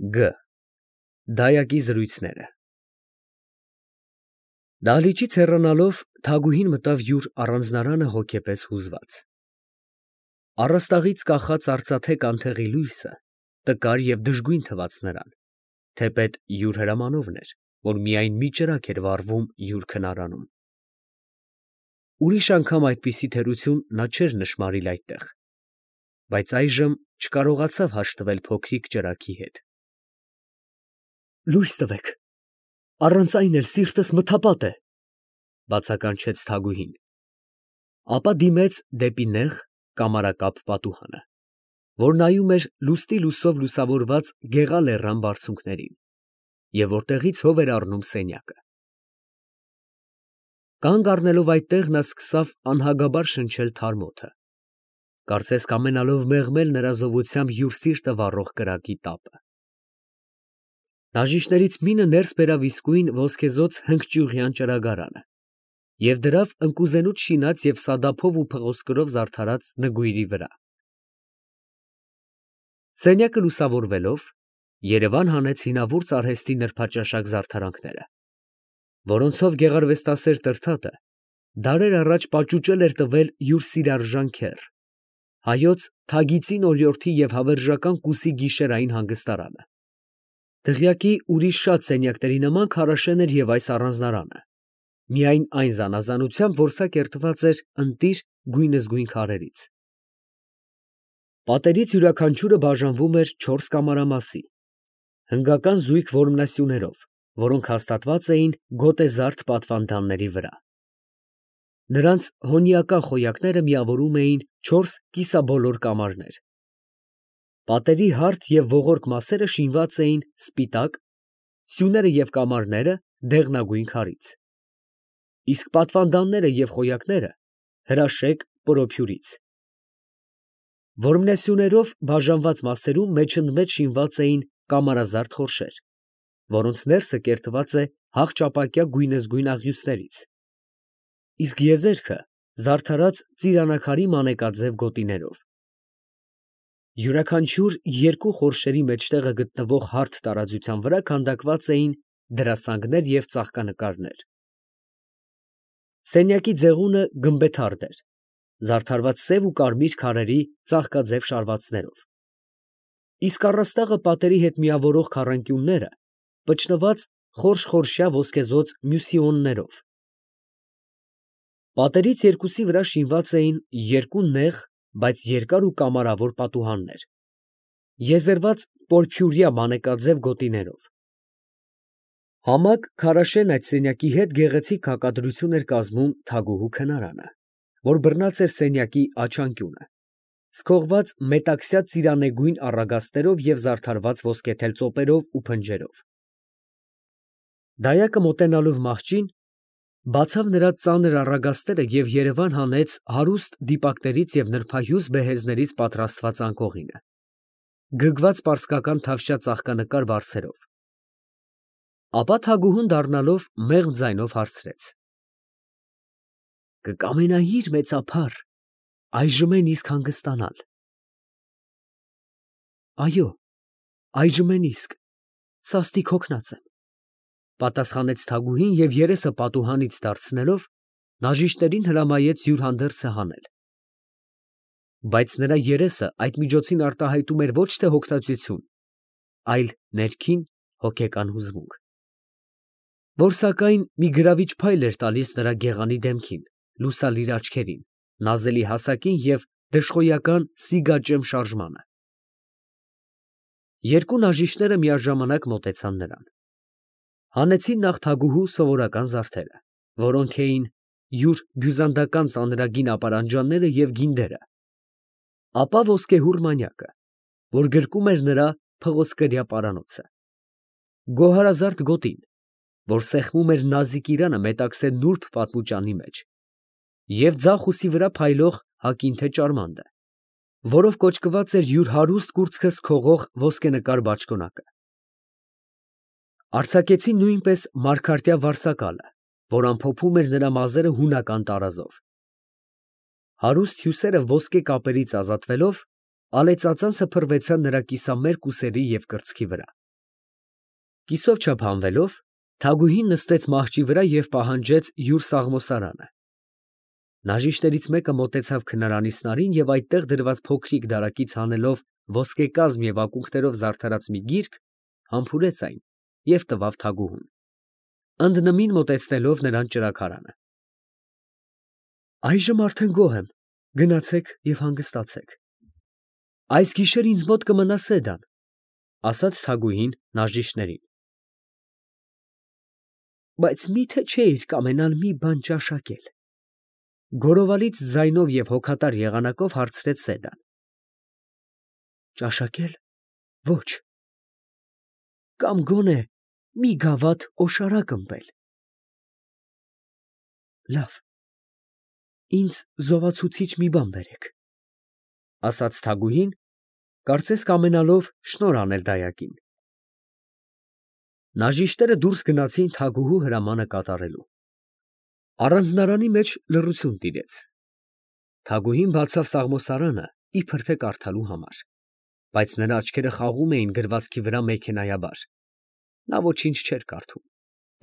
Գ. Դայակի զրույցները։ Դահլիճից հեռանալով Թագուհին մտավ յուր առանձնարանը հոգեպես հուզված. առաստաղից կախած արծաթե կանթեղի լույսը տկար և դժգույն թվաց նրան, թեպետ յուր հրամանովն էր, որ միայն մի ճրագ էր վառվում յուր քնարանում։ Ուրիշ անգամ այդպիսի թերություն նա չէր նշմարիլ այդտեղ, բայց այժմ չկարողացավ հաշտվել փոքրիկ ճրագի հետ։ «Լույս տվեք, առանց այն էլ սիրտս մթապատ է», բացականչեց Թագուհին, ապա դիմեց դեպի նեղ կամարակապ պատուհանը, որ նայում էր լուստի լուսով լուսավորված գեղա լեռան բարձունքներին, և որտեղից հով էր առնում սենյակը։ Կանգ առնելով այդտեղ, նա սկսավ անհագաբար շնչել թարմ օդը, կարծես կամենալով մեղմել նրա զովությամբ յուր սիրտը վառող կրակի տապը։ Բաժիշտներից մինը ներս բերավ իսկույն ոսկեզօծ հնգճյուղյան ճրագարանը և դրավ ընկուզենուց շինած և սադափով ու փղոսկրով զարդարած նգույրի վրա։ Սենյակը լուսավորվելով, երևան հանեց հինավուրց արհեստի նրբաճաշակ զարդարանքները, որոնցով գեղարվեստասեր Տրդատը դարեր առաջ պաճուճել էր տվել յուր սիրարժան քեռ, հայոց Թագիծին օրիորդի և հավերժական Կուսի գիշերային հանգստարանը։ Դղյակի ուրիշ շատ սենյակների նման քարաշեն էր և այս առանձնարանը, միայն այն զանազանությամբ, որ սա կերտված էր ընտիր գույնզգույն քարերից։ Պատերից յուրաքանչյուրը բաժանվում էր 4 կամարամասի, հնգական զույգ որմնասյուներով, որոնք հաստատված էին գոտեզարդ պատվանդանների վրա։ Նրանց հոնիական խոյակները միավորում էին 4 կիսաբոլոր կամարներ։ Պատերի հարթ և ողորկ մասերը շինված էին սպիտակ, սյուները և կամարները դեղնագույն քարից, իսկ պատվանդանները և խոյակները հրաշեկ պրոփյուրից։ Որմնասյուներով բաժանված մասերում մեջընդմեջ շինված էին կամարազարդ խորշեր, որոնց ներսը կերտված է հաղճապակյա գույնզգույն աղյուսներից, իսկ եզերքը զարդարած ծիրանակարի մանեկաձև գոտիներով։ Յուրաքանչյուր երկու խորշերի մեջտեղը գտնվող հարթ տարածության վրա քանդակված էին դրասանգներ և ծաղկանկարներ։ Սենյակի ձեղունը գմբեթարդ էր, զարդարված սև ու կարմիր քարերի ծաղկաձև շարվածներով, իսկ առաստաղը պատերի հետ միավորող քառանկյունները պճնված խորշ֊խորշյա ոսկեզօծ մյուսիոններով։ Պատերից երկուսի վրա շինված էին երկու նեղ, բայց երկար ու կամարավոր պատուհաններ, եզերված պորփյուրյա մանեկաձև գոտիներով։ Համակ քարաշեն այդ սենյակի հետ գեղեցիկ հակադրություն էր կազմում թագուհու քնարանը, որ բռնած էր սենյակի աջ անկյունը, սքողված մետաքսյա ծիրանեգույն առագաստներով և զարդարված ոսկեթել ծոպերով ու փնջերով։ Դայակը մոտենալով մահճին, բացավ նրա ծանր առագաստերը և երևան հանեց հարուստ դիպակներից և նրբահյուզ բեհեզներից պատրաստված անկողինը, գրգված պարսկական թավշյա ծաղկանկար վարսերով։ Ապա թագուհուն դառնալով մեղմ ձայնով հարցրեց. «Կկամենայի՞ր մեծափառ այժմ են իսկ հանգստանալ»։ «Այո, այժմ են իսկ, սաստիկ հոգնած եմ», պատասխանեց թագուհին և երեսը պատուհանից դարձնելով, բաժիշտներին հրամայեց յուր հանդերձը հանել։ Բայց նրա երեսը այդ միջոցին արտահայտում էր ոչ թե հոգնածություն, այլ ներքին հոգեկան հուզմունք, որ սակայն մի գրավիչ փայլ էր տալիս նրա գեղանի դեմքին, լուսալիր աչքերին, նազելի հասակին և դժխոյական սիգաճեմ շարժմանը։ Երկու բաժիշտները միաժամանակ մոտեցան նրան։ Հանեցին նախ թագուհու սովորական զարդերը, որոնք էին յուր բյուզանդական ծանրագին ապարանջանները և գինդերը, ապա ոսկեհուռ մանյակը, որ գրկում էր նրա փղոսկրյա պարանոցը, գոհարազարդ գոտին, որ սեղմում էր նազիկ իրանը մետաքսե նուրբ պատմուճանի մեջ, և ձախ ուսի վրա փայլող հագին թե ճարմանդը, որով կոճկված էր յուր հարուստ կուրծքը սքողող ոսկենկար բաճկոնակը։ Արձակեցին նույնպես մարգարտյա վարսակալը, որ ամփոփում էր նրա մազերը հունական տարազով։ Հարուստ հյուսերը ոսկե կապերից ազատվելով, ալեծածանցը փռվեցան նրա կիսամերկ ուսերի և կրծքի վրա։ Կիսով չափ հանվելով, Թագուհին նստեց մահճի վրա և պահանջեց յուր սաղմոսարանը։ Նաժիշտներից մեկը մոտեցավ քնարանի սնարին և այդտեղ դրված փոքրիկ դարակից հանելով ոսկեկազմ և ակունքներով զարդարած մի գիրք, համբուրեց այն և տվավ Թագուհուն, ընդնմին մոտեցնելով նրան ճրագարանը։ Այժմ արդեն գոհ եմ, գնացեք և հանգստացեք։ Այս գիշեր ինձ մոտ կմնա Սեդան, ֊ ասաց Թագուհին նաժիշտներին։ Բայց մի՞թե չէիր կամենալ մի բան ճաշակել, ֊ գոռովալից ձայնով և հոգատար եղանակով հարցրեց Սեդան։ Ճաշակել, ոչ, կամ գոնե մի գավաթ օշարակ ըմպել։ Լավ, ինձ զովացուցիչ մի բան բերեք, ֊ ասաց Թագուհին, կարծես կամենալով շնորհ անել դայակին։ Նաժիշտները դուրս գնացին Թագուհու հրամանը կատարելու։ Առանձնարանի մեջ լռություն տիրեց։ Թագուհին բացավ սաղմոսարանը իբր թե կարդալու համար, բայց նրա աչքերը խաղում էին գրվածքի վրա մեքենայաբար։ Նա ոչինչ չէր կարդում,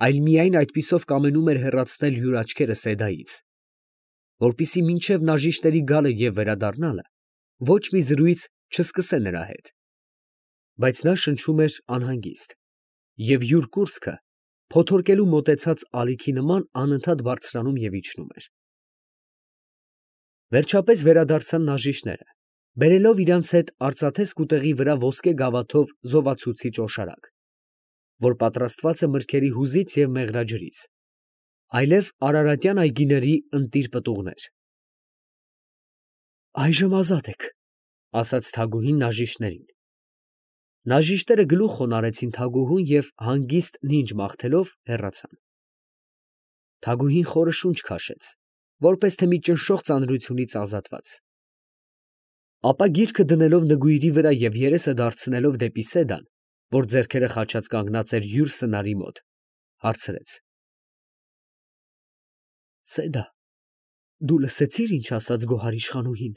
այլ միայն այդպիսով կամենում էր հեռացնել յուր աչքերը Սեդայից, որպեսզի մինչև նաժիշտների գալը և վերադառնալը ոչ մի զրույց չսկսե նրա հետ։ Բայց նա շնչում էր անհանգիստ, և յուր կուրծքը փոթորկելու մոտեցած ալիքի նման անընդհատ բարձրանում և իջնում էր։ Վերջապես վերադարձան նաժիշտները, բերելով իրանց հետ արծաթե սկուտեղի վրա ոսկե գավաթով զովացուցիչ օշարակ, որ պատրաստված է մրգերի հուզից և մեղրաջրից, այլև արարատյան այգիների ընտիր պտուղներ։ Այժմ ազատ եք, ֊ ասաց Թագուհին նաժիշտներին։ Նաժիշտները գլուխ խոնարհեցին Թագուհուն և հանգիստ նինջ մաղթելով հեռացան։ Թագուհին խորը շունչ քաշեց, որպես թե մի ճնշող ծանրությունից ազատված։ Ապա գիրքը դնելով նգույրի վրա և երեսը դարձնելով դեպի Սեդան, որ ձեռքերը խաչած կանգնած էր յուր սնարի մոտ, հարցրեց. Սեդա, դու լսեցի՞ր, ինչ ասաց գոհար իշխանուհին։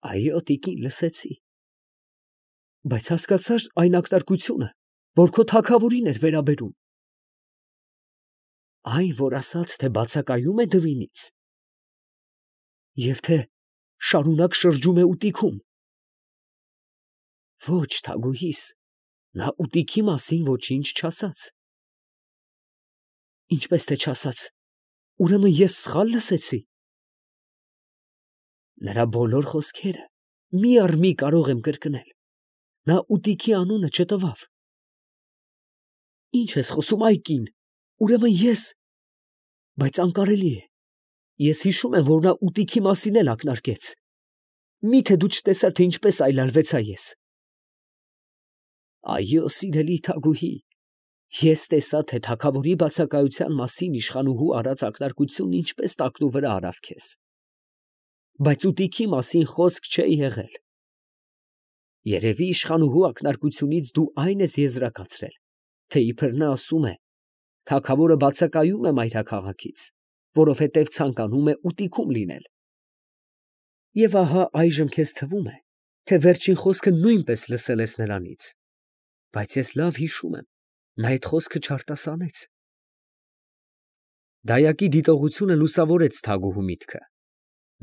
Այո, տիկին, լսեցի։ Բայց հասկացա՞ր այն ակնարկությունը, որ քո թագավորին էր վերաբերում։ Այն, որ ասաց, թե բացակայում է դվինից, և թե շարունակ շրջում է ուտիքում։ Ոչ, թագուհիս, նա ուտիքի մասին ոչինչ չասաց։ Ինչպես թե չասաց, ուրեմն ես սխալ լսեցի։ Նրա բոլոր խոսքերը մի առ մի կարող եմ կրկնել։ Նա ուտիքի անունը չտվավ։ Ինչ ես խոսում, ա՛յ կին, ուրեմն ես… Բայց անկարելի է։ Ես հիշում եմ, որ նա ուտիքի մասին էլ ակնարկեց։ Մի՞թե դու չտեսար, թե ինչպես այլայլվեցա ես։ Այո, սիրելի թագուհի, ես տեսա, թե թագավորի բացակայության մասին իշխանուհու արած ակնարկությունն ինչպես տակնուվրա արավ քեզ։ Բայց ուտիքի մասին խոսք չէ եղել։ Երևի իշխանուհու ակնարկությունից դու այն ես եզրակացրել, թե իբր նա ասում է. թագավորը բացակայում է մայրաքաղաքից, որովհետև ցանկանում է ուտիքում լինել։ Եվ ահա այժմ քեզ թվում է, թե վերջին խոսքը նույնպես լսել ես նրանից, բայց ես լավ հիշում եմ, նա այդ խոսքը չարտասանեց։ Դայակի դիտողությունը լուսավորեց Թագուհու միտքը։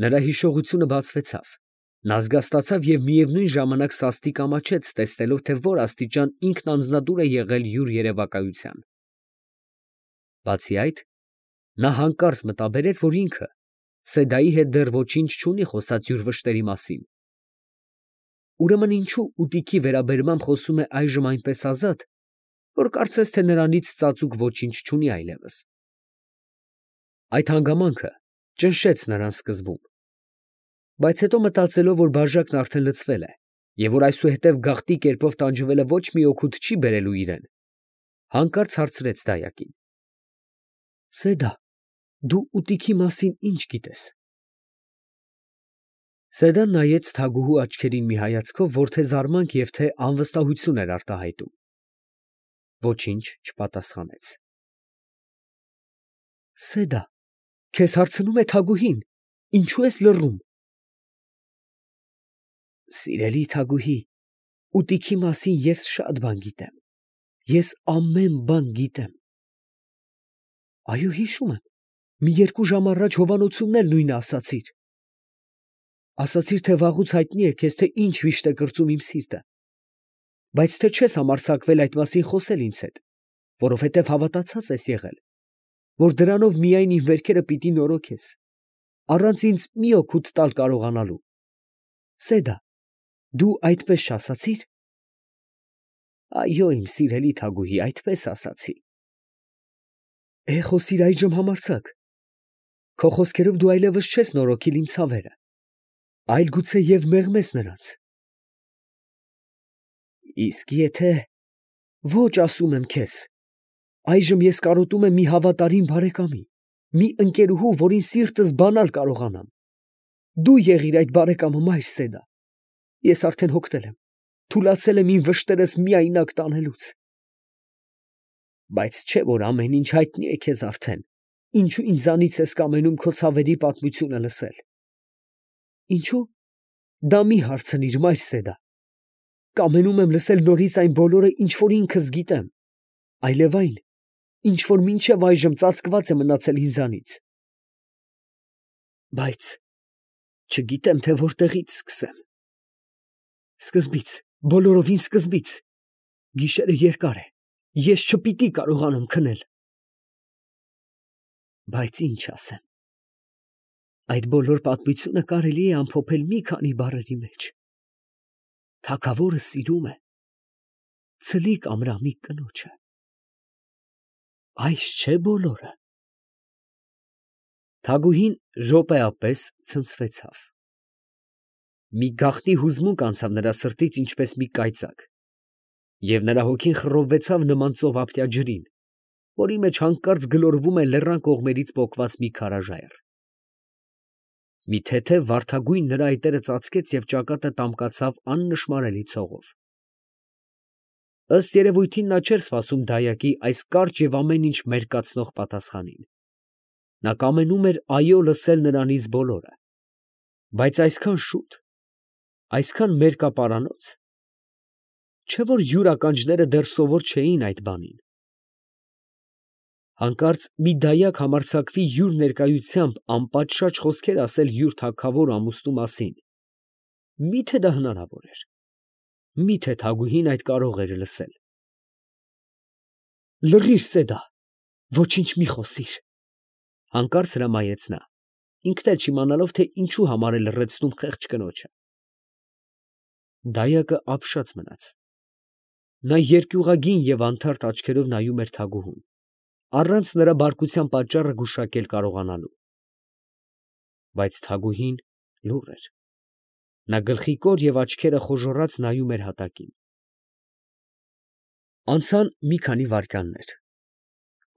Նրա հիշողությունը բացվեցավ, նա զգաստացավ և միևնույն ժամանակ սաստիկ ամաչեց, տեսնելով, թե որ աստիճան ինքն անձնադուր է եղել յուր երևակայության։ Բացի այդ, նա հանկարծ մտաբերեց, որ ինքը Սեդայի հետ դեռ ոչինչ չունի խոսած յուր վշտերի մասին։ Ուրեմն ինչո՞ւ ուտիքի վերաբերմամբ խոսում է այժմ այնպես ազատ, որ կարծես թե նրանից ծածուկ ոչինչ չունի այլևս։ Այդ հանգամանքը ճնշեց նրան սկզբում, բայց հետո մտածելով, որ բաժակն արդեն լցվել է, և որ այսուհետև գաղտի կերպով տանջվելը ոչ մի օգուտ չի բերելու իրեն, հանկարծ հարցրեց դայակին. Սեդա, դու ուտիքի մասին ինչ գիտես։ Սեդան նայեց Թագուհու աչքերին մի հայացքով, որ թե զարմանք և թե անվստահություն էր արտահայտում։ Ոչինչ չպատասխանեց։ Սեդա, քեզ հարցնում է Թագուհին, ինչո՞ւ ես լռում։ Սիրելի թագուհի, ուտիքի մասին ես շատ բան գիտեմ, Ես ամեն բան գիտեմ։ Այո, հիշում եմ, մի 2 ժամ առաջ հովանոցումն էլ նույնը ասացիր։ Ասացիր, թե վաղուց հայտնի է քեզ, թե ինչ վիշտ է կրծում իմ սիրտը, բայց թե չես համարձակվել այդ մասին խոսել ինձ հետ, որովհետև հավատացած ես եղել, որ դրանով միայն իմ վերքերը պիտի նորոգես, առանց ինձ մի օգուտ տալ կարողանալու։ Սեդա, դու այդպես չասացիր։ Այո, իմ սիրելի թագուհի, այդպես ասացի։ Խոսիր այժմ համարձակ։ Քո խոսքերով դու այլևս չես նորոգիլ իմ ցավերը, այլ գուցե և մեղմես նրանց։ Իսկ եթե ոչ, ասում եմ քեզ, այժմ ես կարոտում եմ մի հավատարիմ բարեկամի, մի ընկերուհու, որին սիրտս բանալ կարողանամ։ Դու եղիր այդ բարեկամը, մայր Սեդա։ Ես արդեն հոգնել եմ, թուլացել եմ իմ վշտերս միայնակ տանելուց։ Բայց չէ՞ որ ամեն ինչ հայտնի է քեզ արդեն, ինչու ինձանից ես կամենում քո ցավերի պատմությունը լսել։ Ինչու՞։ Դա մի հարցնիր, մայր Սեդա։ Կամենում եմ լսել նորից այն բոլորը, ինչ որ ինքս գիտեմ, այլև այն, ինչ որ մինչև այժմ ծածկված է մնացել ինձանից։ Բայց չգիտեմ, թե որտեղից սկսեմ։ Սկզբից, բոլորովին սկզբից։ Գիշերը երկար է, ես չպիտի կարողանամ քնել։ Բայց ինչ ասեմ։ Այդ բոլոր պատմությունը կարելի է ամփոփել մի քանի բառերի մեջ։ Թագավորը սիրում է ցլիկ ամրամիկ կնոջը։ Այս չէ բոլորը։ Թագուհին րոպեապես ցնցվեցավ։ Մի գաղտնի հուզմունք անցավ նրա սրտից ինչպես մի կայծակ, և նրա հոգին խռովվեցավ նման ծովափնյա ջրին, որի մեջ հանկարծ գլորվում է լեռան կողմերից պոկված մի քարաժայռ։ Մի թեթև վարդագույն նրա այտերը ծածկեց և ճակատը տամկացավ աննշմարելի ցողով։ Ըստ երևույթին նա չէր սպասում դայակի այս կարճ և ամեն ինչ մերկացնող պատասխանին։ Նա կամենում էր այո լսել նրանից բոլորը, բայց այսքան շուտ, այսքան մերկապարանոց, չէ՞ որ յուր ականջները դեռ սովոր չէին այդ բանին։ Հանկարծ մի դայակ համարձակվի յուր ներկայությամբ անպատշաճ խոսքեր ասել յուր թագավոր ամուսնու մասին։ Մի՞թե դա հնարավոր էր։ Մի՞թե թագուհին այդ կարող էր լսել։ Լռիր, Սեդա, ոչինչ մի խոսիր, հանկարծ հրամայեց նա, ինքն էլ չիմանալով, թե ինչու համար է լռեցնում խեղճ կնոջը։ Դայակը ապշած մնաց։ Նա երկյուղագին և անթարթ աչքերով նայում էր թագուհուն, առանց նրա բարկության պատճառը գուշակել կարողանալու։ Բայց թագուհին լուռ էր։ Նա գլխիկոր և աչքերը խոժոռած նայում էր հատակին։ Անցան մի քանի վայրկյաններ։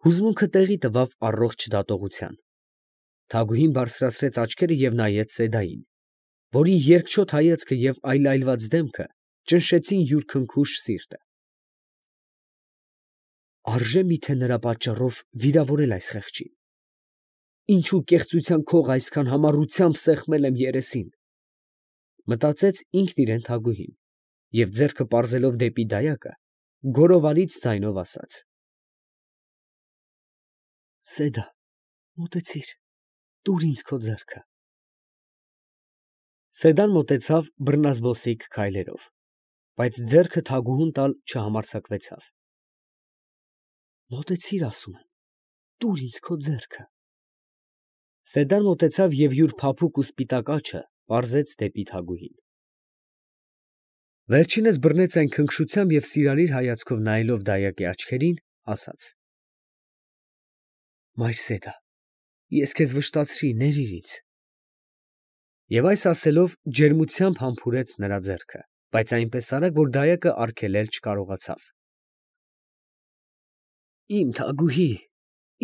Հուզմունքը տեղի տվավ առողջ դատողության։ Թագուհին բարձրացրեց աչքերը և նայեց Սեդային, որի երկչոտ հայացքը և այլայլված դեմքը ճնշեցին յուր քնքուշ սիրտը։ Արժե՞ միթե նրա պատճառով վիրավորել այս խեղճին։ Ինչու կեղծության քող այսքան համառությամբ սեղմել եմ երեսին, մտածեց ինքն իրեն թագուհին, և ձեռքը պարզելով դեպի դայակը, գոռովալից ձայնով ասաց. Սեդա, մոտեցիր, տուր ինձ քո ձեռքը։ Սեդան մոտեցավ բռնազբոսիկ քայլերով, բայց ձեռքը թագուհուն տալ չհամարձակվեցավ։ Մոտեցիր, ասում եմ, տուր ինձ քո ձեռքը։ Սեդան մոտեցավ և յուր փափուկ ու սպիտակ աջը պարզեց դեպի թագուհին։ Վերջինս բռնեց այն քնքշությամբ և սիրալիր հայացքով նայելով դայակի աչքերին, ասաց. Մայր Սեդա, ես քեզ վշտացրի, ներիր ինձ։ Եվ այս ասելով ջերմությամբ համբուրեց նրա ձեռքը, բայց այնպես արագ, որ դայակը արգելել չկարողացավ։ Իմ թագուհի,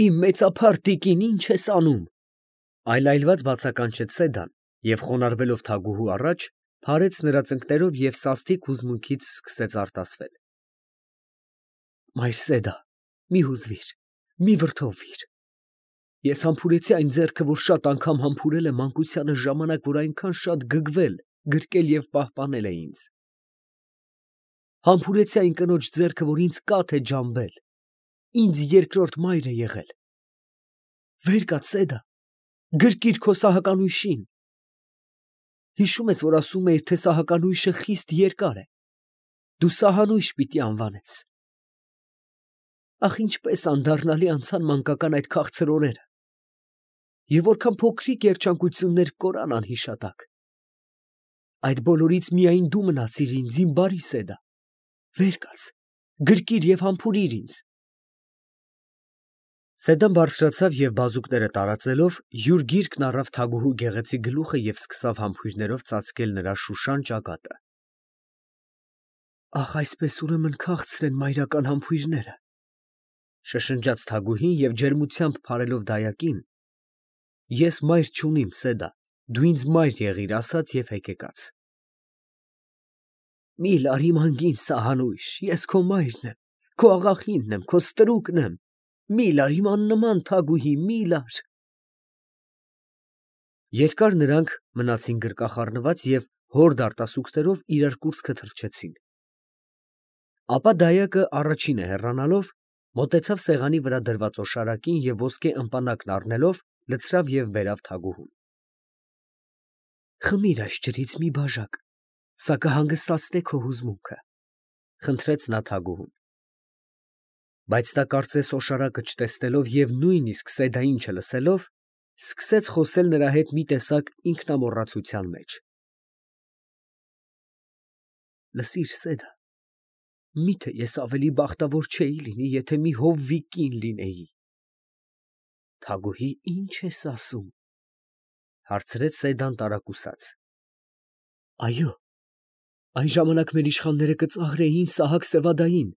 իմ մեծափառ տիկին, ի՞նչ ես անում, այլայլված բացականչեց Սեդան և խոնարհվելով թագուհու առաջ, փարեց նրա ծնկներով և սաստիկ հուզմունքից սկսեց արտասվել։ Մայր Սեդա, մի հուզվիր, մի վրդովվիր։ Ես համբուրեցի այն ձեռքը, որ շատ անգամ համբուրել է մանկությանս ժամանակ, որ այնքան շատ գգվել, գրկել և պահպանել է ինձ։ Համբուրեցի այն կնոջ ձեռքը, որ ինձ կաթ է ջամբել, ինձ երկրորդ մայր է եղել։ Վեր կաց, Սեդա, գրկիր քո սահականույշին։ Հիշում ես, որ ասում էիր, թե սահականույշը խիստ երկար է, դու սահանույշ պիտի անվանես։ Ախ, ինչպես անդառնալի անցան մանկական այդ քաղցր օրերը, և որքան փոքրիկ երջանկություններ կորան անհիշատակ։ Այդ բոլորից միայն դու մնացիր ինձ, իմ բարի Սեդա, վեր կաց, գրկիր և համբուրիր ինձ։ Սեդան բարձրացավ և բազուկները տարածելով, յուր գիրկն առավ Թագուհու գեղեցիկ գլուխը և սկսավ համբույրներով ծածկել նրա շուշան ճակատը։ Ախ, այսպես ուրեմն քաղցր են մայրական համբույրները, շշնջաց Թագուհին և ջերմությամբ փարելով դայակին, ես մայր չունիմ, Սեդա, դու ինձ մայր եղիր, ասաց և հեկեկաց։ Մի լար իմ անգին սահանույշ, ես քո մայրն եմ, քո աղախինն եմ, քո ստրուկն եմ, մի լար իմ աննման Թագուհի, մի լար։ Երկար նրանք մնացին գրկախառնված և հորդ արտասուքներով իրար կուրծքը թռչեցին։ Ապա դայակը առաջինը հեռանալով, մոտեցավ սեղանի վրա դրված օշարակին և ոսկե ըմպանակն առնելով, լցրավ և բերավ Թագուհուն։ Խմիր այս ջրից մի բաժակ, սա կհանգստացնե քո հուզմունքը, խնդրեց նա Թագուհուն։ Բայց նա կարծես օշարակը չտեսնելով և նույնիսկ Սեդային չլսելով, սկսեց խոսել նրա հետ մի տեսակ ինքնամոռացության մեջ. Լսիր, Սեդա, միթե ես ավելի բախտավոր չէի լինի, եթե մի հովվի կին լինեի։ Թագուհի, ի՞նչ ես ասում, հարցրեց Սեդան տարակուսած։ Այո, այն ժամանակ մեր իշխանները կծաղրեին Սահակ Սևադային,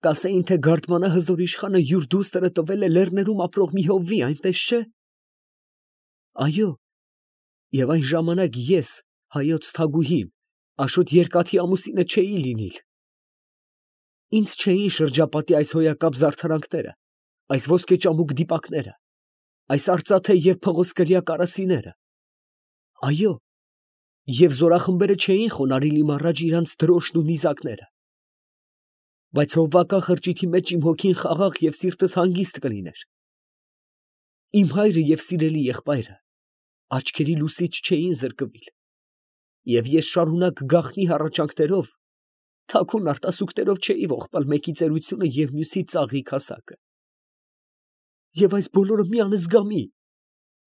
կասեին, թե Գարդմանա հզոր իշխանը յուր դուստրը տվել է լեռներում ապրող մի հովվի, այնպես չէ։ Այո, և այն ժամանակ ես, հայոց Թագուհին, Աշոտ Երկաթի ամուսինը չէի լինիլ։ Ինձ չէին շրջապատի այս հոյակապ զարդարանքները, այս ոսկեճամուկ դիպակները, այս արծաթե և փղոսկրյա կարասիները։ Այո, և զորախմբերը չէին խոնարհիլ իմ առաջ իրանց դրոշն ու նիզակները։ Բայց հովվական խրճիթի մեջ իմ հոգին խաղաղ և սիրտս հանգիստ կլիներ։ Իմ հայրը և սիրելի եղբայրը աչքերի լուսից չէին զրկվիլ, և ես շարունակ գաղտնի հառաչանքներով, թաքուն արտասուքներով չէի ողբալ մեկի ծերությունը և մյուսի ծաղիկ հասակը։ Եվ այս բոլորը մի անզգամի,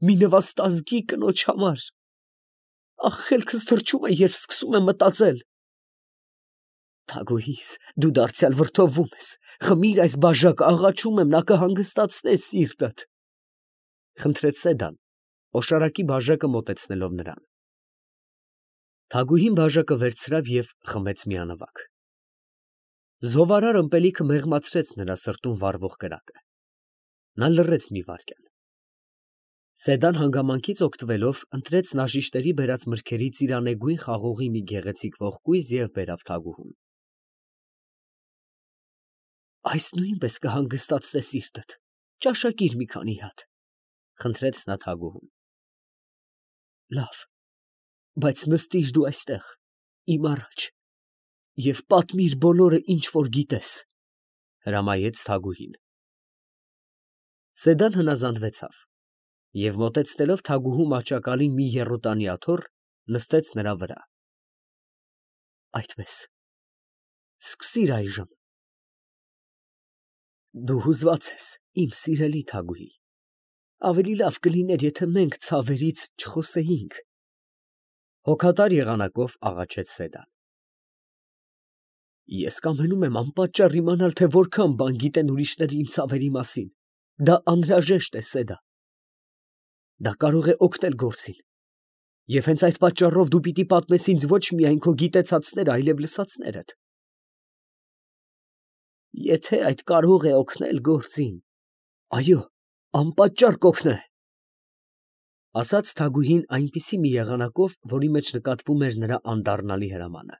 մի նվաստազգի կնոջ համար… Ախ, խելքս թռչում է, երբ սկսում եմ մտածել… Թագուհիս, դու դարձյալ վրդովվում ես, խմիր այս բաժակը, աղաչում եմ, նա կհանգստացնե սիրտդ, խնդրեց Սեդան, օշարակի բաժակը մոտեցնելով նրան։ Թագուհին բաժակը վերցրավ և խմեց միանվագ։ Զովարար ըմպելիքը մեղմացրեց նրա սրտում վառվող կրակը։ Նա լռեց մի վայրկյան։ Սեդան հանգամանքից օգտվելով, ընտրեց նաժիշտերի բերած մրգերից ծիրանեգույն խաղողի մի գեղեցիկ ողկույզ և բերավ Թագուհուն։ Այս նույնպես կհանգստացնե սիրտդ, ճաշակիր մի քանի հատ, խնդրեց նա Թագուհուն։ Լավ, բայց նստիր դու այստեղ, իմ առաջ, և պատմիր բոլորը, ինչ որ գիտես, հրամայեց Թագուհին։ Սեդան հնազանդվեցավ և մոտեցնելով Թագուհու մահճակալին մի եռոտանի աթոռ, նստեց նրա վրա։ Այդպես, սկսիր այժմ։ Դու հուզված ես, իմ սիրելի Թագուհի, ավելի լավ կլիներ, եթե մենք ցավերից չխոսեինք, հոգատար եղանակով աղաչեց Սեդան։ Ես կամենում եմ անպատճառ իմանալ, թե որքան բան գիտեն ուրիշները իմ ցավերի մասին, դա անհրաժեշտ է, Սեդա։ Դա կարող է օգնել գործին, և հենց այդ պատճառով դու պիտի պատմես ինձ ոչ միայն քո գիտեցածները, այլև լսածներդ։ Եթե այդ կարող է օգնել գործին, այո, անպատճառ կօգնե, ասաց Թագուհին այնպիսի մի եղանակով, որի մեջ նկատվում էր նրա անդառնալի հրամանը,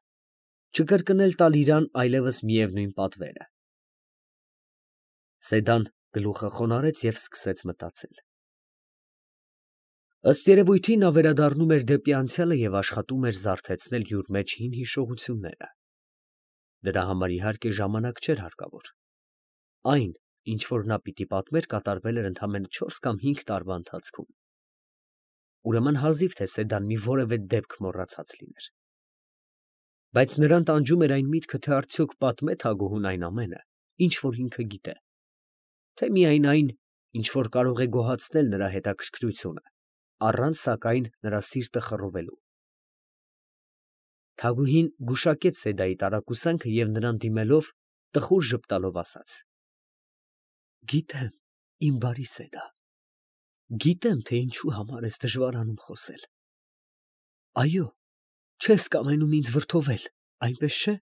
չկրկնել տալ իրան այլևս միևնույն պատվերը։ Սեդան գլուխը խոնարհեց և սկսեց մտածել։ Ըստ երևույթին նա վերադառնում էր դեպի անցյալը և աշխատում էր զարթեցնել յուր մեջ հին հիշողությունները։ Դրա համար իհարկե ժամանակ չէր հարկավոր։ Այն, ինչ որ նա պիտի պատմեր, կատարվել էր ընդամենը 4 կամ 5 տարվա ընթացքում։ Ուրեմն հազիվ թե Սեդան մի որևէ դեպք մոռացած լիներ։ Բայց նրան տանջում էր այն միտքը, թե արդյոք պատմե թագուհուն այն ամենը, ինչ որ ինքը գիտե, թե միայն այն, ինչ որ կարող է գոհացնել նրա հետաքրքրությունը, առանց սակայն նրա սիրտը խռովելու։ Թագուհին գուշակեց Սեդայի տարակուսանքը և նրան դիմելով տխուր ժպտալով ասաց. «Գիտեմ, իմ բարի Սեդա, գիտեմ, թե ինչու համար ես դժվարանում խոսել։ Այո, չես կամենում ինձ վրդովել, այնպես չէ՞։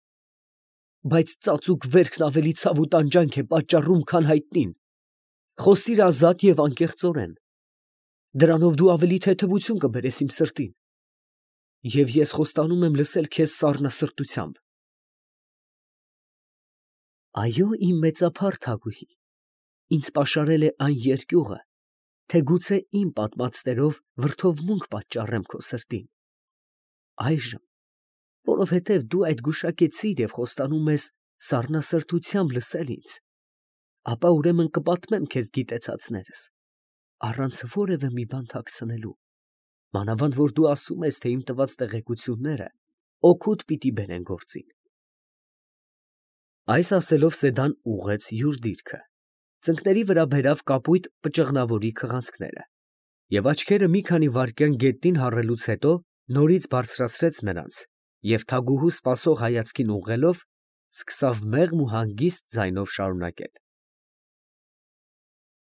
Բայց ծածուկ վերքն ավելի ցավ ու տանջանք է պատճառում, քան հայտնին։ Խոսիր ազատ և անկեղծորեն. դրանով դու ավելի թեթևություն կբերես իմ սրտին, և ես խոստանում եմ լսել քեզ սառնասրտությամբ»։ Այո, իմ մեծափառ թագուհի, ինձ պաշարել է այն երկյուղը, թե գուցե իմ պատմածներով վրդովմունք պատճառեմ քո սրտին։ Այժմ, որովհետև դու այդ գուշակեցիր և խոստանում ես սառնասրտությամբ լսել ինձ, ապա ուրեմն կպատմեմ քեզ գիտեցածներս, առանց որևէ մի բան թաքցնելու, մանավանդ որ դու ասում ես, թե իմ տված տեղեկությունները օգուտ պիտի բերեն գործին։ Այս ասելով Սեդան ուղղեց յուր դիրքը, ծնկների վրա բերավ կապույտ պճղնավորի քղանցքները և աչքերը մի քանի վայրկյան գետնին հառելուց հետո նորից բարձրացրեց նրանց և թագուհու սպասող հայացքին ուղղելով, սկսավ մեղմ ու հանգիստ ձայնով շարունակել.